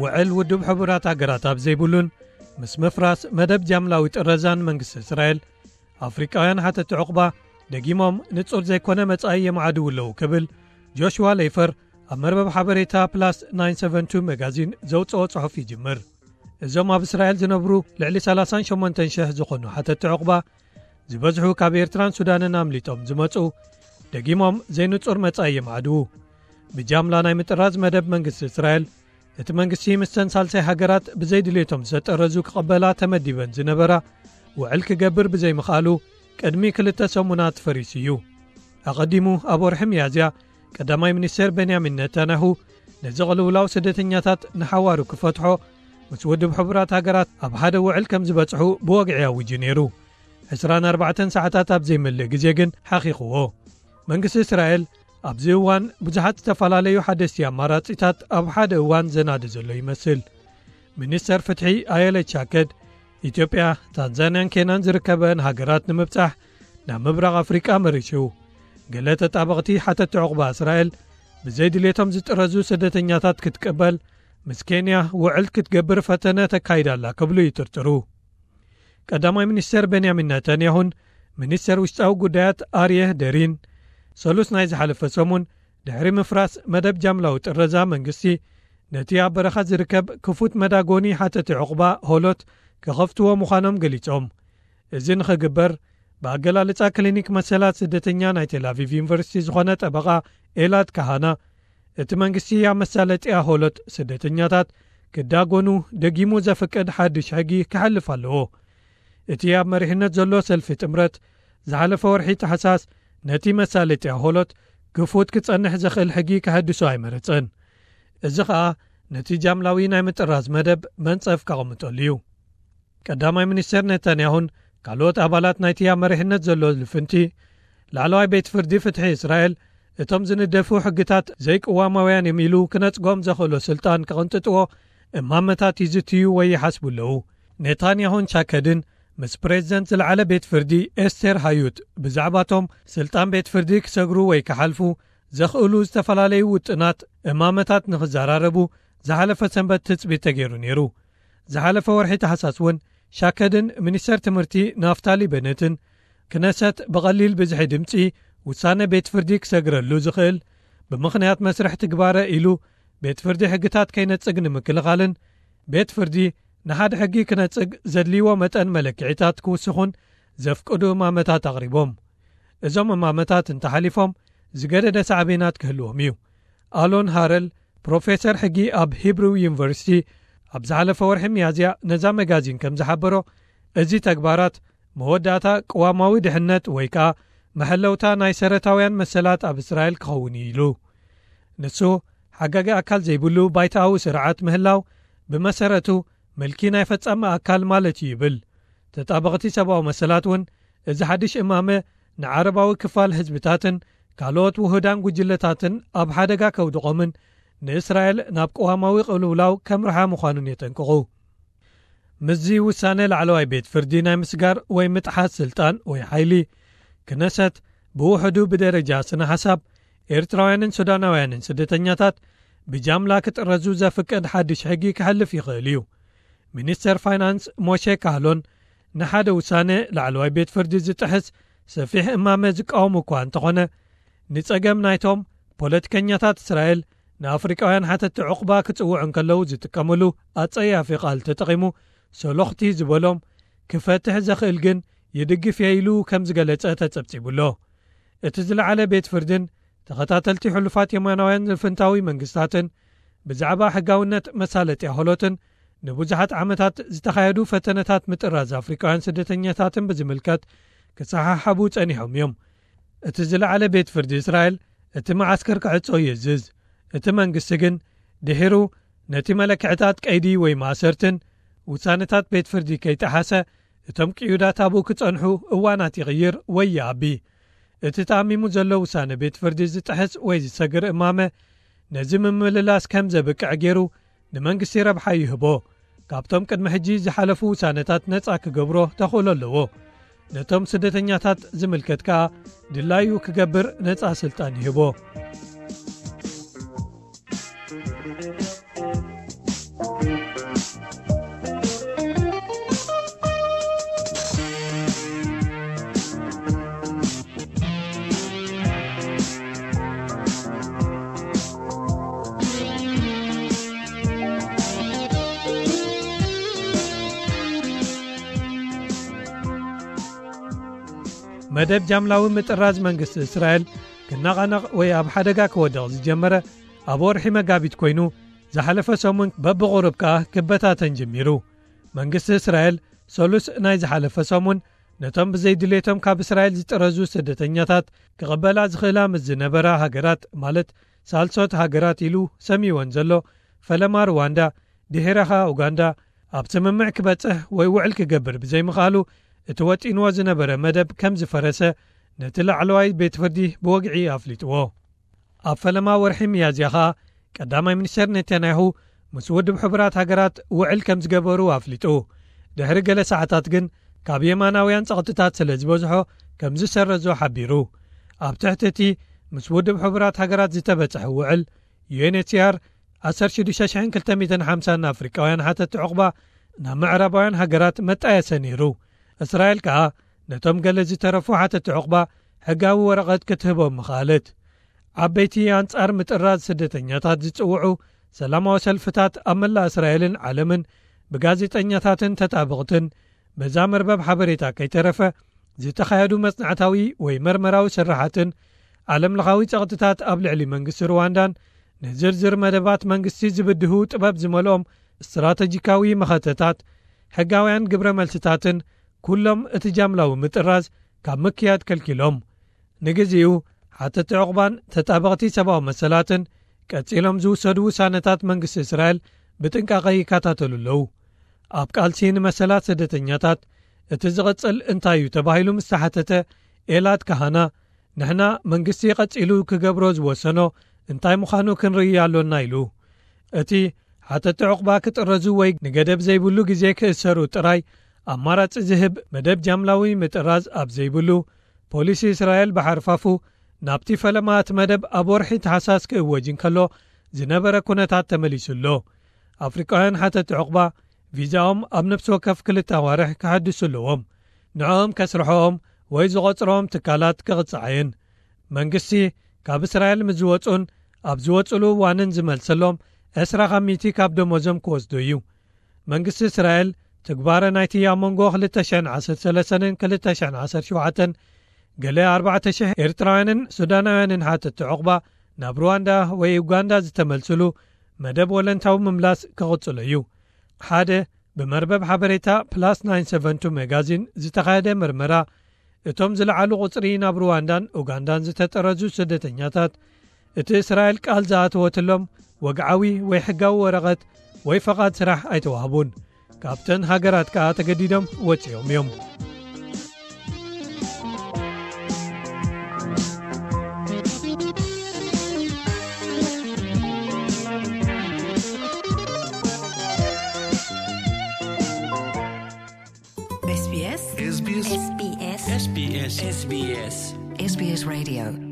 ውዕል ውድብ ሕቡራት ሃገራት ኣብ ዘይብሉን ምስ ምፍራስ መደብ ጃምላዊ ጥረዛን መንግስቲ እስራኤል፣ ኣፍሪቃውያን ሓተቲ ዕቑባ ደጊሞም ንጹር ዘይኮነ መጻኢ የማዕድዉ ኣለዉ ክብል ጆሽዋ ሌይፈር ኣብ መርበብ ሓበሬታ ፕላስ ናይን ሰቨን ቱ መጋዚን ዘውጽኦ ጽሑፍ ይጅምር። እዞም ኣብ እስራኤል ዝነብሩ ልዕሊ ሰላሳን ሸሞንተን ሽሕ ዝኾኑ ሓተቲ ዕቑባ ዝበዝሑ ካብ ኤርትራን ሱዳንን ኣምሊጦም ዝመጹ፣ ደጊሞም ዘይንጹር መጻኢ የማዕድዉ። ብጃምላ ናይ ምጥራዝ መደብ መንግስቲ እስራኤል፣ እቲ መንግስቲ ምስተን ሳልሳይ ሃገራት ብዘይድልየቶም ዝተጠረዙ ክቐበላ ተመዲበን ዝነበራ ውዕል ክገብር ብዘይምኽኣሉ ቅድሚ ክልተ ሰሙናት ፈሪሱ እዩ። ኣቐዲሙ ኣብ ወርሒ ሚያዝያ ቀዳማይ ሚኒስተር ቤንያሚን ነታንያሁ ነዚ ቅልውላው ስደተኛታት ንሓዋሩ ክፈትሖ ምስ ውድብ ሕቡራት ሃገራት ኣብ ሓደ ውዕል ከም ዝበጽሑ ብወግዒ ኣዊጁ ነይሩ። ዕስራን ኣርባዕተን ሰዓታት ኣብ ዘይመልእ ግዜ ግን ሓኺኽዎ። መንግስቲ እስራኤል ኣብዚ እዋን ብዙሓት ዝተፈላለዩ ሓደስቲ ኣማራጺታት ኣብ ሓደ እዋን ዘናዲ ዘሎ ይመስል። ሚኒስተር ፍትሒ ኣየለ ቻከድ፣ ኢትዮጵያ፣ ታንዛንያን ኬንያን ዝርከበን ሃገራት ንምብጻሕ ናብ ምብራቕ ኣፍሪቃ መሪሹ። ገለ ተጣበቕቲ ሓተቲ ዕቑባ እስራኤል ብዘይድልየቶም ዝጥረዙ ስደተኛታት ክትቅበል ምስ ኬንያ ውዕል ክትገብር ፈተነ ተካይዳ ኣላ ክብሉ ይጥርጥሩ። ቀዳማይ ሚኒስተር ቤንያሚን ነታንያሁን ሚኒስተር ውሽጣዊ ጉዳያት ኣርየ ደሪን ሰሉስ ናይ ዝሓለፈ ሰሙን ድሕሪ ምፍራስ መደብ ጃምላዊ ጥረዛ መንግስቲ ነቲ ኣብ በረኻ ዝርከብ ክፉት መዳጎኒ ሓተቲ ዕቑባ ሆሎት ክኸፍትዎ ምዃኖም ገሊጾም። እዚ ንኽግበር ብኣገላልጻ ክሊኒክ መሰላት ስደተኛ ናይ ቴል ኣቪቭ ዩኒቨርሲቲ ዝኾነ ጠበቓ ኤላድ ካሃና፣ እቲ መንግስቲ ኣብ መሳለጥያ ሆሎት ስደተኛታት ክዳጎኑ ደጊሙ ዘፍቅድ ሓድሽ ሕጊ ክሓልፍ ኣለዎ። እቲ ኣብ መሪሕነት ዘሎ ሰልፊ ጥምረት ዝሓለፈ ወርሒ ታሕሳስ ነቲ መሳለጥያ ሆሎት ክፉት ክጸንሕ ዘኽእል ሕጊ ክሕድሶ ኣይመረጸን። እዚ ኸኣ ነቲ ጃምላዊ ናይ ምጥራዝ መደብ መንጸፍ ከቐምጠሉ እዩ። ቀዳማይ ሚኒስተር ነታንያሁን ካልኦት ኣባላት ናይቲ ኣብ መሪሕነት ዘሎ ልፍንቲ፣ ላዕለዋይ ቤት ፍርዲ ፍትሒ እስራኤል እቶም ዝንደፉ ሕግታት ዘይቅዋማውያን እዮም ኢሉ ክነጽጎም ዘኽእሎ ስልጣን ክቕንጥጥዎ እማመታት ይዝትዩ ወይ ይሓስቡ ኣለዉ። ኔታንያሁን ቻከድን ምስ ፕሬዚደንት ዝለዓለ ቤት ፍርዲ ኤስቴር ሃዩት ብዛዕባቶም ስልጣን ቤት ፍርዲ ክሰግሩ ወይ ክሓልፉ ዘኽእሉ ዝተፈላለዩ ውጥናት እማመታት ንኽዘራረቡ ዝሓለፈ ሰንበት ትጽቢት ተገይሩ ነይሩ። ዝሓለፈ ወርሒ ታሕሳስ እውን ሻከድን ሚኒስተር ትምህርቲ ናፍታሊ በነትን ክነሰት ብቐሊል ብዝሒ ድምፂ ውሳነ ቤት ፍርዲ ክሰግረሉ ዝኽእል ብምኽንያት መስርሕ ትግባረ ኢሉ ቤት ፍርዲ ሕግታት ከይነጽግ ንምክልኻልን ቤት ፍርዲ ንሓደ ሕጊ ክነጽግ ዘድልይዎ መጠን መለክዒታት ክውስኹን ዘፍቅዱ እማመታት ኣቕሪቦም። እዞም እማመታት እንተሓሊፎም ዝገደደ ሳዕቤናት ክህልዎም እዩ። ኣሎን ሃረል ፕሮፌሰር ሕጊ ኣብ ሂብሩ ዩኒቨርሲቲ ኣብ ዝሓለፈ ወርሒ ሚያዝያ ነዛ መጋዚን ከም ዝሓበሮ፣ እዚ ተግባራት መወዳእታ ቅዋማዊ ድሕነት ወይ ከኣ መሐለውታ ናይ ሰረታውያን መሰላት ኣብ እስራኤል ክኸውን እዩ ኢሉ። ንሱ ሓጋጊ ኣካል ዘይብሉ ባይታኣዊ ስርዓት ምህላው ብመሰረቱ ምልኪ ናይ ፈጻሚ ኣካል ማለት እዩ ይብል። ተጣበቕቲ ሰብኣዊ መሰላት እውን እዚ ሓድሽ እማመ ንዓረባዊ ክፋል ህዝብታትን ካልኦት ውሁዳን ጉጅለታትን ኣብ ሓደጋ ከውድቖምን ንእስራኤል ናብ ቅዋማዊ ቅልውላው ከምርሓ ምዃኑን የጠንቅቑ። ምስዚ ውሳነ ላዕለዋይ ቤት ፍርዲ ናይ ምስጋር ወይ ምጥሓስ ስልጣን ወይ ሓይሊ ክነሰት ብውሕዱ ብደረጃ ስነ ሓሳብ ኤርትራውያንን ሱዳናውያንን ስደተኛታት ብጃምላ ክጥረዙ ዘፍቅድ ሓድሽ ሕጊ ክሕልፍ ይኽእል እዩ። ሚኒስተር ፋይናንስ ሞሼ ካህሎን ንሓደ ውሳነ ላዕለዋይ ቤት ፍርዲ ዝጥሕስ ሰፊሕ እማመ ዝቃወሙ እኳ እንተኾነ፣ ንጸገም ናይቶም ፖለቲከኛታት እስራኤል ንኣፍሪቃውያን ሓተቲ ዕቑባ ክጽውዑ እንከለዉ ዝጥቀምሉ ኣጸያፊ ቃል ተጠቒሙ ሰሎኽቲ ዝበሎም ክፈትሕ ዘኽእል ግን ይድግፍ እየ ኢሉ ከም ዝገለጸ ተጸብጺቡ ኣሎ። እቲ ዝለዓለ ቤት ፍርድን ተኸታተልቲ ሕሉፋት የማናውያን ልፍንታዊ መንግስታትን ብዛዕባ ሕጋውነት መሳለጥያ ሆሎትን ንብዙሓት ዓመታት ዝተኻየዱ ፈተነታት ምጥራዝ ኣፍሪቃውያን ስደተኛታትን ብዝምልከት ክሰሓሓቡ ጸኒሖም እዮም። እቲ ዝለዓለ ቤት ፍርዲ እስራኤል እቲ መዓስከር ክዕጾ ይእዝዝ። እቲ መንግስቲ ግን ድሒሩ ነቲ መለክዕታት ቀይዲ ወይ ማእሰርትን ውሳነታት ቤት ፍርዲ ከይጠሓሰ እቶም ቅዩዳት ኣብኡ ክጸንሑ እዋናት ይቕይር ወይ ይኣቢ። እቲ ተኣሚሙ ዘሎ ውሳነ ቤት ፍርዲ ዝጥሕስ ወይ ዝሰግር እማመ ነዚ ምምልላስ ከም ዘብቅዕ ገይሩ ንመንግስቲ ረብሓ ይህቦ። ካብቶም ቅድሚ ሕጂ ዝሓለፉ ውሳነታት ነጻ ክገብሮ ተኽእሎ ኣለዎ። ነቶም ስደተኛታት ዝምልከት ከኣ ድላዩ ክገብር ነጻ ስልጣን ይህቦ። መደብ ጃምላዊ ምጥራዝ መንግስቲ እስራኤል ክነቓነቕ ወይ ኣብ ሓደጋ ክወድቕ ዝጀመረ ኣብ ወርሒ መጋቢት ኮይኑ፣ ዝሓለፈ ሰሙን በብቑሩብ ከኣ ክበታተን ጀሚሩ። መንግስቲ እስራኤል ሰሉስ ናይ ዝሓለፈ ሰሙን ነቶም ብዘይድሌቶም ካብ እስራኤል ዝጥረዙ ስደተኛታት ክቕበላ ዝኽእላ ምስ ዝነበራ ሃገራት፣ ማለት ሳልሶት ሃገራት ኢሉ ሰሚወን ዘሎ ፈለማ ሩዋንዳ፣ ድሒረኻ ኡጋንዳ፣ ኣብ ስምምዕ ክበጽሕ ወይ ውዕል ክገብር ብዘይምኽኣሉ፣ እቲ ወጢንዎ ዝነበረ መደብ ከም ዝፈረሰ ነቲ ላዕለዋይ ቤት ፍርዲ ብወግዒ ኣፍሊጥዎ። ኣብ ፈለማ ወርሒ ሚያዝያ ኸኣ ቀዳማይ ሚኒስተር ኔታንያሁ ምስ ውድብ ሕቡራት ሃገራት ውዕል ከም ዝገበሩ ኣፍሊጡ። ድሕሪ ገለ ሰዓታት ግን ካብ የማናውያን ጸቕጥታት ስለ ዝበዝሖ ከም ዝሰረዞ ሓቢሩ። ኣብ ትሕቲ እቲ ምስ ውድብ ሕቡራት ሃገራት ዝተበጽሐ ውዕል፣ ዩ ኤን ኤች ሲ ኣር ዓሰርተ ሽዱሽተ ሽሕን ክልተ ሚእትን ሓምሳን ኣፍሪቃውያን ሓተቲ ዑቕባ ናብ ምዕራባውያን ሃገራት መጣየሰ ነይሩ። እስራኤል ከኣ ነቶም ገለ ዝተረፉ ሓተቲ ዑቕባ ሕጋዊ ወረቐት ክትህቦም ምኽኣለት። ዓበይቲ ኣንጻር ምጥራዝ ስደተኛታት ዝጽውዑ ሰላማዊ ሰልፍታት ኣብ መላእ እስራኤልን ዓለምን ብጋዜጠኛታትን ተጣበቕትን በዛ መርበብ ሓበሬታ ከይተረፈ ዝተኻየዱ መጽናዕታዊ ወይ መርመራዊ ስራሓትን ዓለምለኻዊ ጸቕጥታት ኣብ ልዕሊ መንግስቲ ሩዋንዳን ንዝርዝር መደባት መንግስቲ ዝብድሁ ጥበብ ዝመልኦም ስትራተጂካዊ መኸተታት፣ ሕጋውያን ግብረ መልስታትን ኩሎም እቲ ጃምላዊ ምጥራዝ ካብ ምክያድ ከልኪሎም። ንግዚኡ ሓተቲ ዕቑባን ተጣበቕቲ ሰብኣዊ መሰላትን ቀጺሎም ዝውሰዱ ውሳነታት መንግስቲ እስራኤል ብጥንቃቐ ይከታተሉ ኣለዉ። ኣብ ቃልሲ ንመሰላት ስደተኛታት እቲ ዝቕጽል እንታይ እዩ ተባሂሉ ምስ ተሓተተ፣ ኤላድ ካሃና፣ ንሕና መንግስቲ ቀጺሉ ክገብሮ ዝወሰኖ እንታይ ምዃኑ ክንርኢ ኣሎና ኢሉ። እቲ ሓተቲ ዕቑባ ክጥረዙ ወይ ንገደብ ዘይብሉ ግዜ ክእሰሩ ጥራይ ኣማራጺ ዝህብ መደብ ጃምላዊ ምጥራዝ ኣብ ዘይብሉ፣ ፖሊሲ እስራኤል ብሓርፋፉ ናብቲ ፈለማ እቲ መደብ ኣብ ወርሒ ተሓሳስ ክእወጅ እንከሎ ዝነበረ ኩነታት ተመሊሱ ኣሎ። ኣፍሪቃውያን ሓተቲ ዕቑባ ቪዛኦም ኣብ ነፍሲ ወከፍ ክልተ ኣዋርሕ ክሓድሱ ኣለዎም። ንዕኦም ከስርሖም ወይ ዝቖጽሮም ትካላት ክቕጻዓየን። መንግስቲ ካብ እስራኤል ምስ ዝወጹን ኣብ ዝወጹሉ እዋንን ዝመልሰሎም ዕስራ ካብ ሚእቲ ካብ ደሞዞም ክወስዶ እዩ። መንግስቲ እስራኤል ትግባረ ናይቲ ኣብ መንጎ ክልተ ሽሕን ዓሰርተ ሰለስተን ክልተ ሽሕን ዓሰርተ ሸውዓተን ገለ ኣርባዕተ ሽሕ ኤርትራውያንን ሱዳናውያንን ሓተቲ ዕቑባ ናብ ሩዋንዳ ወይ ኡጋንዳ ዝተመልስሉ መደብ ወለንታዊ ምምላስ ክቕጽሎ እዩ። ሓደ ብመርበብ ሓበሬታ ፕላስ ናይን ሰቨን ቱ መጋዚን ዝተኻየደ መርመራ፣ እቶም ዝለዓሉ ቁጽሪ ናብ ሩዋንዳን ኡጋንዳን ዝተጠረዙ ስደተኛታት፣ እቲ እስራኤል ቃል ዝኣተወትሎም ወግዓዊ ወይ ሕጋዊ ወረቐት ወይ ፈቓድ ስራሕ ኣይተዋህቡን። ካብተን ሃገራት ከኣ ተገዲዶም ወጺኦም እዮም። S B S. S B S. S B S. S B S. S B S. S B S Radio.